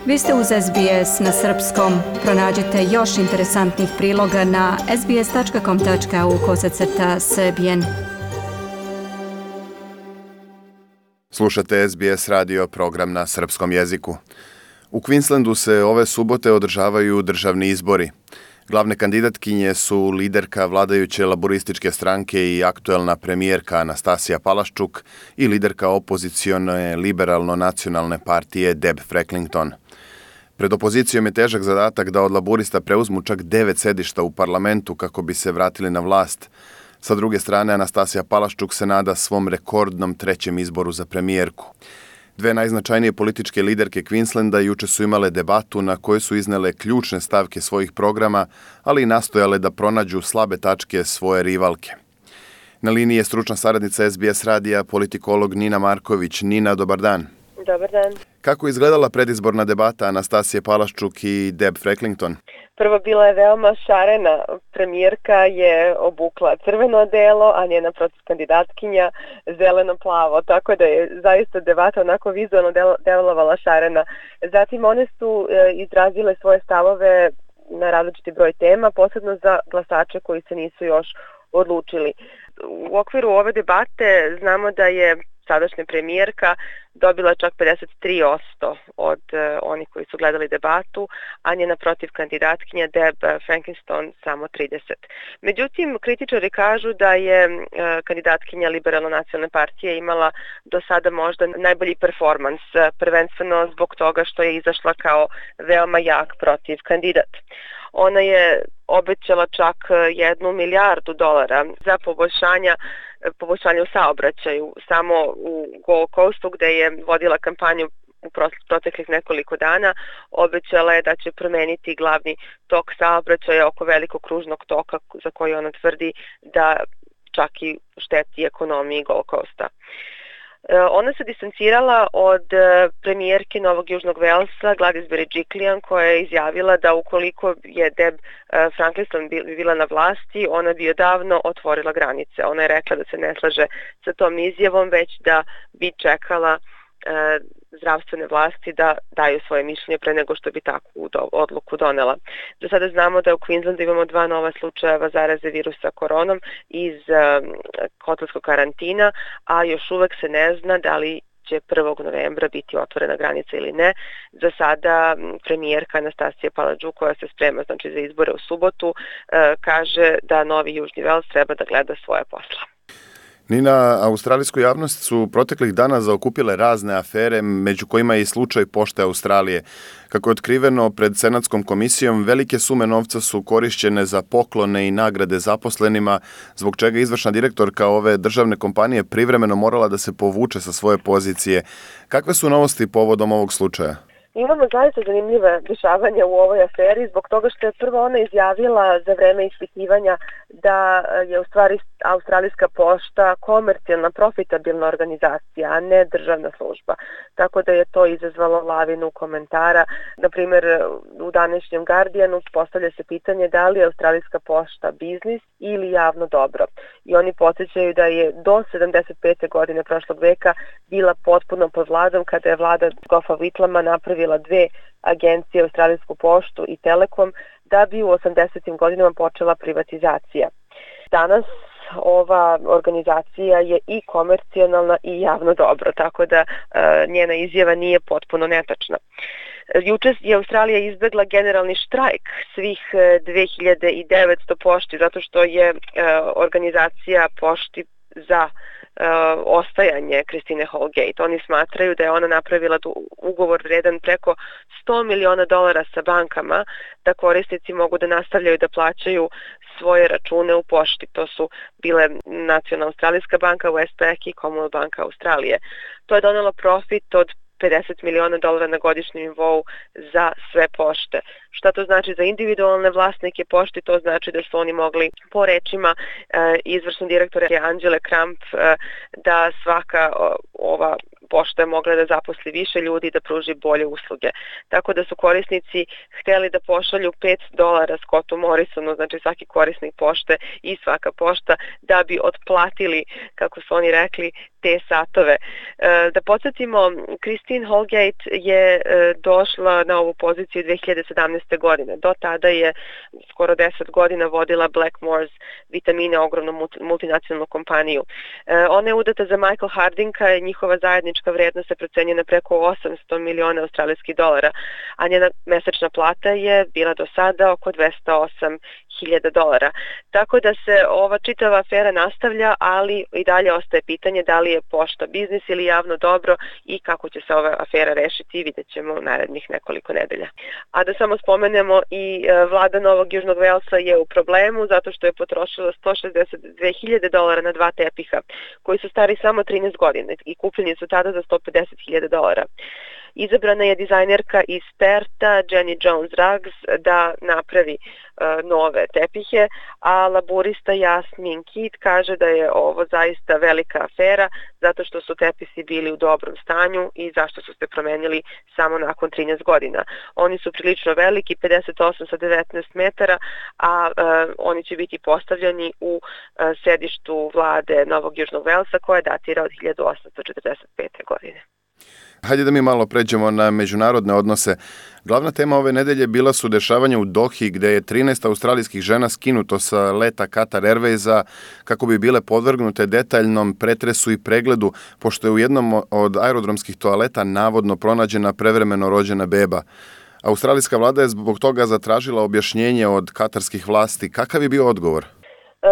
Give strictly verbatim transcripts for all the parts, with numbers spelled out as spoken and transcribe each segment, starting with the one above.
Vi ste uz S B S na srpskom. Pronađite još interesantnih priloga na sbs.com.au kosacrta srbijen. Slušate S B S radio, program na srpskom jeziku. U Queenslandu se ove subote održavaju državni izbori. Glavne kandidatkinje su liderka vladajuće laborističke stranke i aktuelna premijerka Anastasija Palaszczuk i liderka opozicione liberalno-nacionalne partije Deb Frecklington. Pred opozicijom je težak zadatak da od laborista preuzmu čak devet sedišta u parlamentu kako bi se vratili na vlast. Sa druge strane, Anastasija Palaszczuk se nada svom rekordnom trećem izboru za premijerku. Dve najznačajnije političke liderke Queenslanda juče su imale debatu na kojoj su iznele ključne stavke svojih programa, ali i nastojale da pronađu slabe tačke svoje rivalke. Na liniji je stručna saradnica S B S radija, politikolog Nina Marković. Nina, dobar dan. Dobar dan. Kako je izgledala predizborna debata Anastasije Palaszczuk i Deb Frecklington? Prvo, bila je veoma šarena. Premijerka je obukla crveno odelo, a njena protivkandidatkinja zeleno-plavo, tako da je zaista debata onako vizualno delovala šarena. Zatim one su e, izrazile svoje stavove na različiti broj tema, posebno za glasače koji se nisu još odlučili. U okviru ove debate znamo da je sadašnja premijerka dobila čak pedeset tri posto od uh, onih koji su gledali debatu, a njena protiv kandidatkinja Deb Frecklington samo trideset. Međutim, kritičari kažu da je uh, kandidatkinja liberalno-nacionalne partije imala do sada možda najbolji performans, uh, prvenstveno zbog toga što je izašla kao veoma jak protiv kandidat. Ona je obećala čak jednu milijardu dolara za poboljšanja poboljšanje u saobraćaju. Samo u Gold Coastu, gde je vodila kampanju u proteklih nekoliko dana, obećala je da će promeniti glavni tok saobraćaja oko velikog kružnog toka za koji ona tvrdi da čak i šteti ekonomiji Gold Coasta. Ona se distancirala od premijerke Novog Južnog Velsa, Gladys Berejiklian, koja je izjavila da ukoliko je Deb Frecklington bila na vlasti, ona bi odavno otvorila granice. Ona je rekla da se ne slaže sa tom izjavom, već da bi čekala zdravstvene vlasti da daju svoje mišljenje pre nego što bi takvu odluku donela. Do sada znamo da u Queenslandu imamo dva nova slučajeva zaraze virusa koronom iz hotelskog karantina, a još uvek se ne zna da li će prvog novembra biti otvorena granica ili ne. Za sada premijerka Anastasija Palaszczuk, koja se sprema znači, za izbore u subotu, kaže da Novi Južni Vels treba da gleda svoje posla. Nina, australijsku javnost su proteklih dana zaokupile razne afere, među kojima je i slučaj Pošte Australije. Kako je otkriveno pred Senatskom komisijom, velike sume novca su korišćene za poklone i nagrade zaposlenima, zbog čega izvršna direktorka ove državne kompanije privremeno morala da se povuče sa svoje pozicije. Kakve su novosti povodom ovog slučaja? Imamo zaista zanimljive dešavanja u ovoj aferi zbog toga što je prvo ona izjavila za vreme ispitivanja da je u stvari Australijska pošta komercijalna, profitabilna organizacija, a ne državna služba. Tako da je to izazvalo lavinu komentara. Naprimjer, u današnjem Guardianu postavlja se pitanje da li je Australijska pošta biznis ili javno dobro. I oni podsjećaju da je do sedamdeset pete godine prošlog veka bila potpuno pod vladom kada je vlada Goffa Whitlama napravila dve agencije, Australijsku poštu i Telekom, da bi u osamdesetim godinama počela privatizacija. Danas ova organizacija je i komercijalna i javno dobro, tako da e, njena izjava nije potpuno netačna. Juče je Australija izbegla generalni štrajk svih dve hiljade devetsto pošti, zato što je e, organizacija pošti za Uh, ostajanje Christine Holgate. Oni smatraju da je ona napravila ugovor vredan preko sto miliona dolara sa bankama da korisnici mogu da nastavljaju da plaćaju svoje račune u pošti. To su bile Nacionalna Australijska banka, Westpac i Commonwealth banka Australije. To je donelo profit od pedeset miliona dolara na godišnjem nivou za sve pošte. Šta to znači za individualne vlasnike pošte? To znači da su oni mogli, po rečima izvršne direktore Angele Kramp, da svaka ova pošta je mogla da zaposli više ljudi i da pruži bolje usluge. Tako da su korisnici hteli da pošalju pet dolara Scottu Morrisonu, znači svaki korisnik pošte i svaka pošta, da bi otplatili, kako su oni rekli, te satove. Da podsjetimo, Christine Holgate je došla na ovu poziciju dve hiljade sedamnaeste. godine. Do tada je skoro deset godina vodila Blackmores vitamine, ogromnu multinacionalnu kompaniju. Ona je udata za Michael Hardinka i njihova zajednička vrednost se procenjuje na preko osamsto miliona australijskih dolara, a njena mesečna plata je bila do sada oko dvesta osam hiljada dolara. Tako da se ova čitava afera nastavlja, ali i dalje ostaje pitanje da li je pošta biznis ili javno dobro i kako će se ova afera rešiti, vidjet ćemo u narednih nekoliko nedelja. A da samo spomenemo, i vlada Novog Južnog Velsa je u problemu zato što je potrošila sto šezdeset dve hiljade dolara na dva tepiha koji su stari samo trinaest godina i kupljeni su tada za sto pedeset hiljada dolara. Izabrana je dizajnerka iz Perta, Jenny Jones Ruggs, da napravi uh, nove tepihe, a laburista Jasmin Kidd kaže da je ovo zaista velika afera zato što su tepisi bili u dobrom stanju i zašto su se promenili samo nakon trinaest godina. Oni su prilično veliki, pedeset osam sa devetnaest metara, a uh, oni će biti postavljeni u uh, sedištu vlade Novog Južnog Velsa koja datira od hiljadu osamsto četrdeset pete. godine. Hajde da mi malo pređemo na međunarodne odnose. Glavna tema ove nedelje bila su dešavanja u Dohi, gde je trinaest australijskih žena skinuto sa leta Qatar Airwaysa kako bi bile podvrgnute detaljnom pretresu i pregledu, pošto je u jednom od aerodromskih toaleta navodno pronađena prevremeno rođena beba. Australijska vlada je zbog toga zatražila objašnjenje od katarskih vlasti. Kakav je bio odgovor?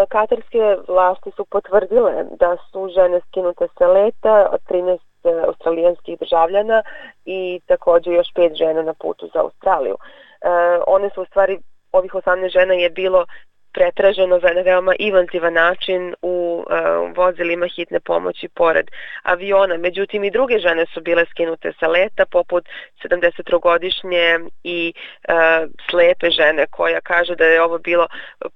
Katarske vlasti su potvrdile da su žene skinute sa leta, od trinaest australijanskih državljana i također još pet žena na putu za Australiju. E, one su u stvari, ovih osamnaest žena je bilo pretraženo na veoma inventivan način u uh, vozilima hitne pomoći pored aviona. Međutim, i druge žene su bile skinute sa leta, poput sedamdesettrogodišnje i uh, slepe žene koja kaže da je ovo bilo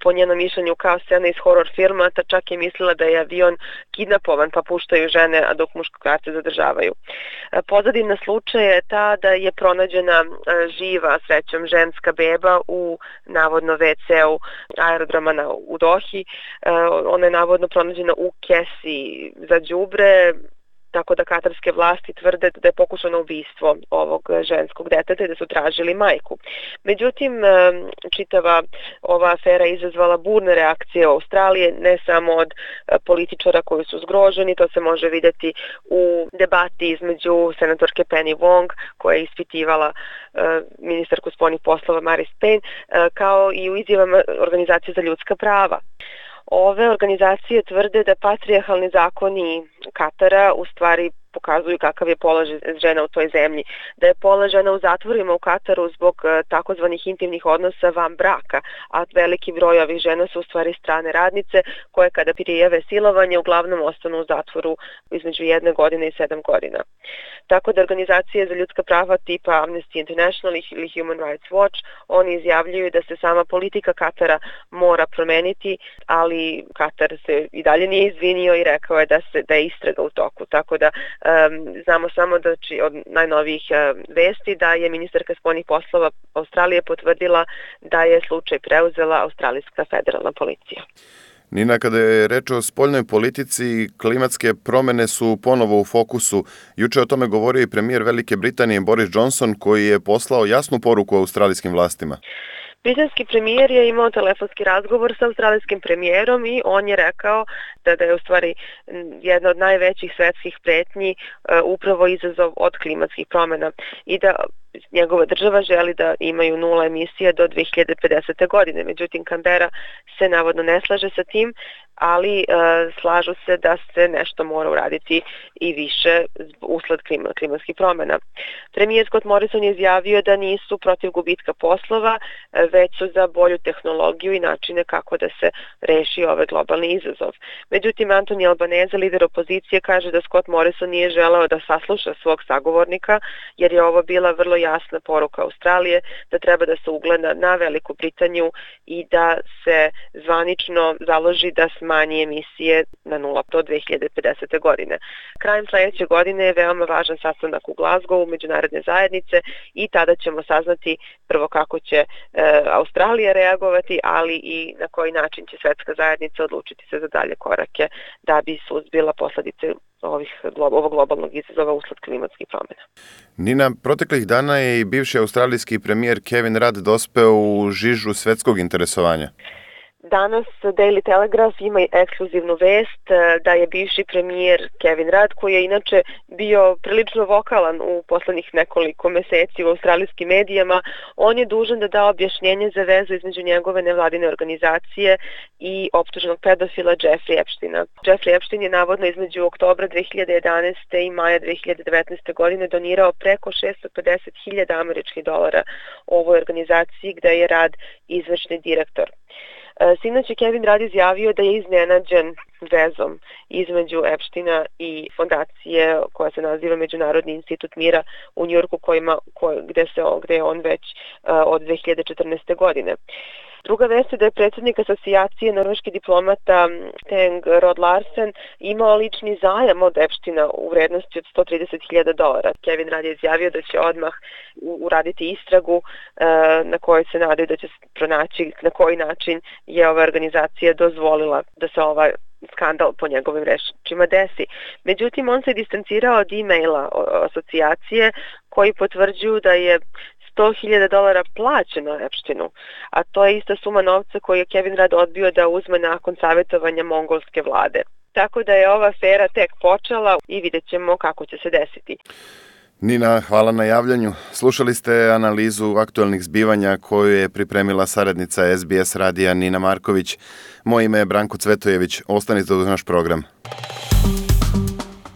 po njenom mišljenju kao scena iz horor filma, ta čak je mislila da je avion kidnapovan pa puštaju žene, a dok muškarce zadržavaju. Uh, pozadina slučaja je ta da je pronađena uh, živa, srećom, ženska beba u navodno ve ce-u aerodroma na, u Dohi. Uh, ona je navodno pronađena u kesi za đubre, tako da katarske vlasti tvrde da je pokušano ubistvo ovog ženskog deteta i da su tražili majku. Međutim, čitava ova afera izazvala burne reakcije u Australiji, ne samo od političara koji su zgroženi, to se može vidjeti u debati između senatorke Penny Wong, koja je ispitivala ministarku spoljnih poslova Marise Payne, kao i u izjavama Organizacije za ljudska prava. Ove organizacije tvrde da patrijarhalni zakoni Katara u stvari pokazuju kakav je položaj žena u toj zemlji, da je položaj žena u zatvorima u Kataru zbog takozvanih intimnih odnosa van braka, a veliki broj ovih žena su u stvari strane radnice koje kada prijave silovanje uglavnom ostanu u zatvoru između jedne godine i sedam godina. Tako da organizacije za ljudska prava tipa Amnesty International ili Human Rights Watch, oni izjavljuju da se sama politika Katara mora promeniti, ali Katar se i dalje nije izvinio i rekao je da, se, da je istraga u toku. Tako da Um, znamo samo da či, od najnovijih uh, vesti da je ministarka spoljnih poslova Australije potvrdila da je slučaj preuzela australijska federalna policija. Nina, kada je reč o spoljnoj politici, klimatske promene su ponovo u fokusu. Juče o tome govorio i premijer Velike Britanije Boris Johnson, koji je poslao jasnu poruku australijskim vlastima. Britanski premijer je imao telefonski razgovor sa australijskim premijerom i on je rekao da, da je u stvari jedna od najvećih svetskih pretnji uh, upravo izazov od klimatskih promjena i da njegova država želi da imaju nula emisije do dve hiljade pedesete. godine. Međutim, Canberra se navodno ne slaže sa tim. ali e, slažu se da se nešto mora uraditi i više usled klima, klimatskih promjena. Premijer Scott Morrison je izjavio da nisu protiv gubitka poslova, e, već su za bolju tehnologiju i načine kako da se reši ovaj globalni izazov. Međutim, Anthony Albanese, lider opozicije, kaže da Scott Morrison nije želeo da sasluša svog sagovornika, jer je ovo bila vrlo jasna poruka Australije da treba da se ugleda na Veliku Britaniju i da se zvanično založi da smanji emisije na nula do dve hiljade pedesete. godine. Krajem sledeće godine je veoma važan sastanak u Glasgowu međunarodne zajednice i tada ćemo saznati prvo kako će e, Australija reagovati, ali i na koji način će svetska zajednica odlučiti se za dalje korake da bi suzbila posledice ovih, ovog globalnog izazova usled klimatskih promjena. Nina, proteklih dana je i bivši australijski premijer Kevin Rudd dospeo u žižu svetskog interesovanja. Danas Daily Telegraph ima ekskluzivnu vest da je bivši premijer Kevin Rudd, koji je inače bio prilično vokalan u poslednjih nekoliko meseci u australijskim medijama, on je dužan da da objašnjenje za vezu između njegove nevladine organizacije i optuženog pedofila Jeffrey Epsteina. Jeffrey Epstein je navodno između oktobra dve hiljade jedanaeste. i maja dve hiljade devetnaeste. godine donirao preko šesto pedeset hiljada američkih dolara ovoj organizaciji gde je Rudd izvršni direktor. Sinoć je Kevin Rudd izjavio da je iznenađen vezom između Epsteina i fondacije koja se naziva Međunarodni institut mira u Njujorku, kojima, koj, gde, se, gde je on već uh, od dve hiljade četrnaeste. godine. Druga vest je da je predsjednik asocijacije norveških diplomata Teng Rod Larsen imao lični zajam od Epsteina u vrednosti od sto trideset hiljada dolara. Kevin Rudd je izjavio da će odmah uraditi istragu na kojoj se nadaju da će pronaći na koji način je ova organizacija dozvolila da se ova skandal po njegovim rečima desi. Međutim, on se distancirao od e-maila asocijacije koji potvrđuju da je sto hiljada dolara plaćeno Epsteinu, a to je ista suma novca koju je Kevin Rudd odbio da uzme nakon savjetovanja mongolske vlade. Tako da je ova afera tek počela i vidjet ćemo kako će se desiti. Nina, hvala na javljanju. Slušali ste analizu aktualnih zbivanja koju je pripremila saradnica S B S radija Nina Marković. Moje ime je Branko Cvetojević. Ostanite uz naš program.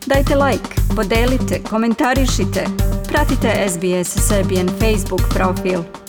Dajte like, podelite, komentarišite. Pratite S B S Serbian Facebook profil.